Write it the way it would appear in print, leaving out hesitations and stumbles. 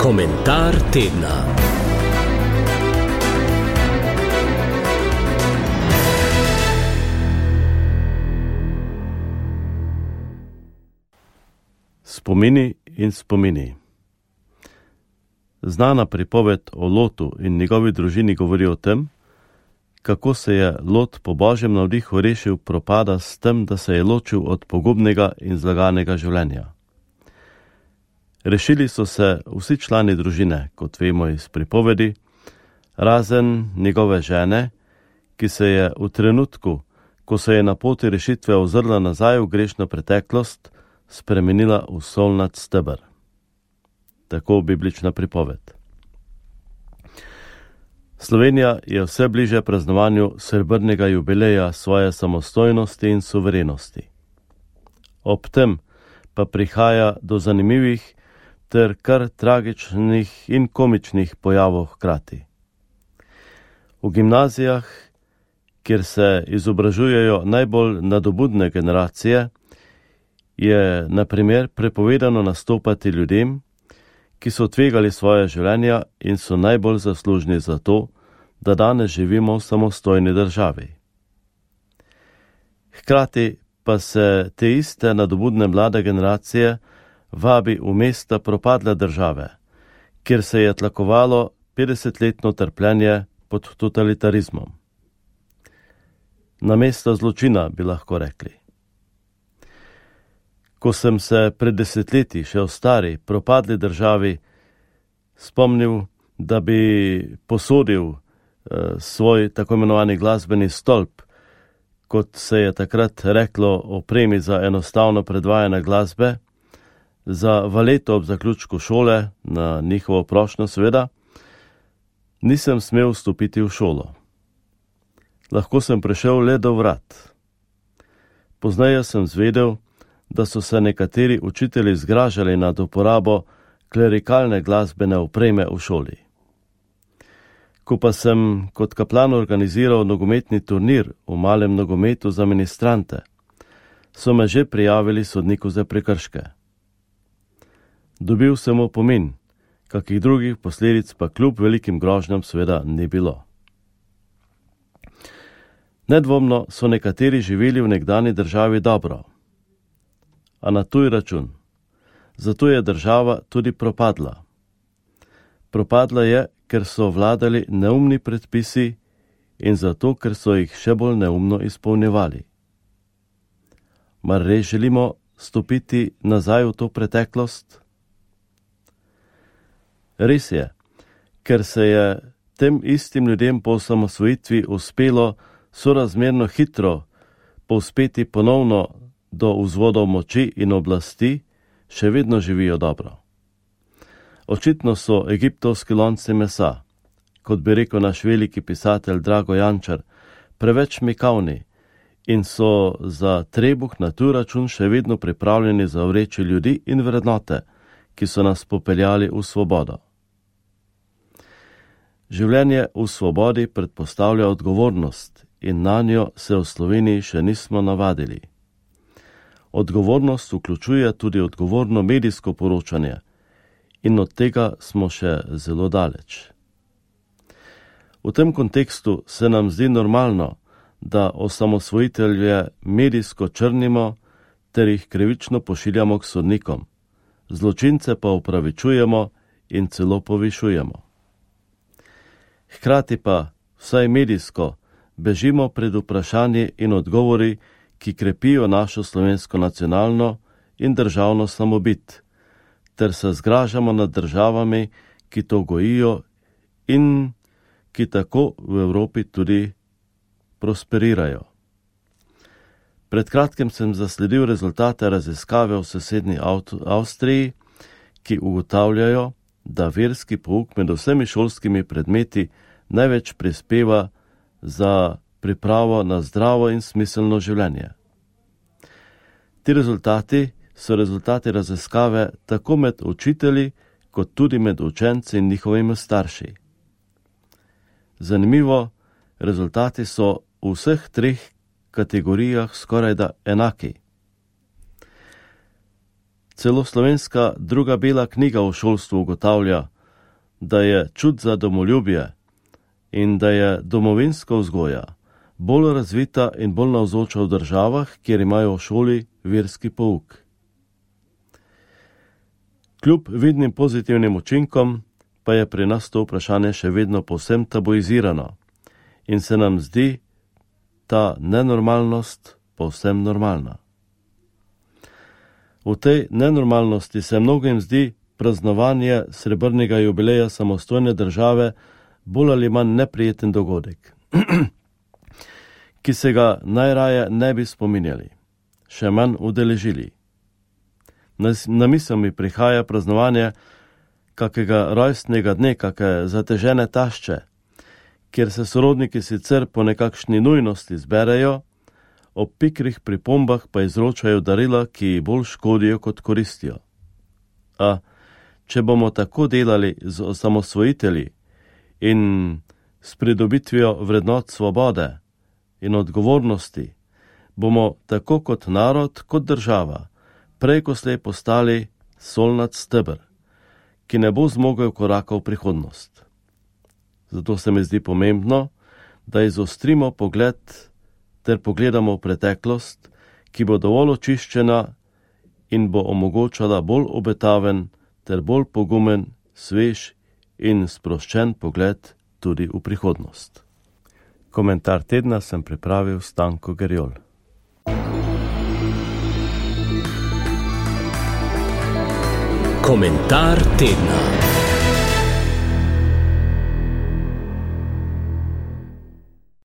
Komentar tedna. Spomini in spomini. Znana pripoved o Lotu in njegovi družini govori o tem, kako se je Lot po božjem navdihu rešil propada s tem, da se je ločil od pogubnega in zlaganega življenja. Rešili so se vsi člani družine, kot vemo iz pripovedi, razen njegove žene, ki se je v trenutku, ko se je na poti rešitve ozrla nazaj v grešno preteklost, spremenila v solnat steber. Tako biblična pripoved. Slovenija je vse bliže praznovanju srebrnega jubileja svoje samostojnosti in suverenosti. Ob tem pa prihaja do zanimivih ter kar tragičnih in komičnih pojavov hkrati. V gimnazijah, kjer se izobražujejo najbolj nadobudne generacije, je na primer prepovedano nastopati ljudem, ki so tvegali svoje življenja in so najbolj zaslužni za to, da danes živimo v samostojni državi. Hkrati pa se te iste nadobudne mlade generacije vabi v mesta propadle države, kjer se je tlakovalo 50-letno trpljenje pod totalitarizmom. Na mesto zločina, bi lahko rekli. Ko sem se pred desetletji še v stari, propadli državi spomnil, da bi posodil svoj tako imenovani glasbeni stolp, kot se je takrat reklo opremi za enostavno predvajanje glasbe, za valeto ob zaključku šole, na njihovo prošnjo seveda, nisem smel vstopiti v šolo. Lahko sem prišel le do vrat. Pozneje sem zvedel, da so se nekateri učitelji zgražali nad uporabo klerikalne glasbene opreme v šoli. Ko pa sem kot kaplan organiziral nogometni turnir v malem nogometu za ministrante, so me že prijavili sodniku za prekrške. Dobil sem opomin, kakih drugih posledic pa kljub velikim grožnjam seveda ni bilo. Nedvomno so nekateri živeli v nekdani državi dobro, a na tuj račun. Zato je država tudi propadla. Propadla je, ker so vladali neumni predpisi in zato, ker so jih še bolj neumno izpolnjevali. Mar res želimo stopiti nazaj v to preteklost? Res je, ker se je tem istim ljudem po osamosvojitvi uspelo sorazmerno hitro povzpeti ponovno do vzvodov moči in oblasti, še vedno živijo dobro. Očitno so egiptovski lonci mesa, kot bi rekel naš veliki pisatelj Drago Jančar, preveč mikavni in so za trebuh na tuj račun še vedno pripravljeni zavreči ljudi in vrednote, ki so nas popeljali v svobodo. Življenje v svobodi predpostavlja odgovornost in nanjo se v Sloveniji še nismo navadili. Odgovornost vključuje tudi odgovorno medijsko poročanje in od tega smo še zelo daleč. V tem kontekstu se nam zdi normalno, da osamosvojitelje medijsko črnimo ter jih krivično pošiljamo k sodnikom, zločince pa upravičujemo in celo povišujemo. Hkrati pa, vsaj medijsko, bežimo pred vprašanji in odgovori, ki krepijo našo slovensko nacionalno in državno samobit, ter se zgražamo nad državami, ki to gojijo in ki tako v Evropi tudi prosperirajo. Pred kratkim sem zasledil rezultate raziskave v sosednji Avstriji, ki ugotavljajo, da verski pouk med vsemi šolskimi predmeti največ prispeva za pripravo na zdravo in smiselno življenje. Ti rezultati so rezultati raziskave tako med učitelji, kot tudi med učenci in njihovimi starši. Zanimivo, rezultati so v vseh treh kategorijah skorajda enaki. Celo slovenska druga bela knjiga o šolstvu ugotavlja, da je čut za domoljubje in da je domovinska vzgoja bolj razvita in bolj navzoča v državah, kjer imajo v šoli verski pouk. Kljub vidnim pozitivnim učinkom pa je pri nas to vprašanje še vedno povsem tabuizirano in se nam zdi ta nenormalnost povsem normalna. V tej nenormalnosti se mnogim zdi praznovanje srebrnega jubileja samostojne države bolj ali manj neprijeten dogodek, ki se ga najraje ne bi spominjali, še manj udeležili. Na misel mi prihaja praznovanje kakega rojstnega dne, kake zatežene tašče, kjer se sorodniki sicer po nekakšni nujnosti zberejo, ob pikrih pripombah pa izročajo darila, ki bolj škodijo kot koristijo. A če bomo tako delali z osamosvojitelji in s pridobitvijo vrednot svobode in odgovornosti, bomo tako kot narod, kot država, prej ko slej postali solnat steber, ki ne bo zmogel koraka v prihodnost. Zato se mi zdi pomembno, da izostrimo pogled ter pogledamo v preteklost, ki bo dovolj očiščena in bo omogočala bolj obetaven ter bolj pogumen, svež in sproščen pogled tudi v prihodnost. Komentar tedna sem pripravil Stanko Gerjol. Komentar tedna.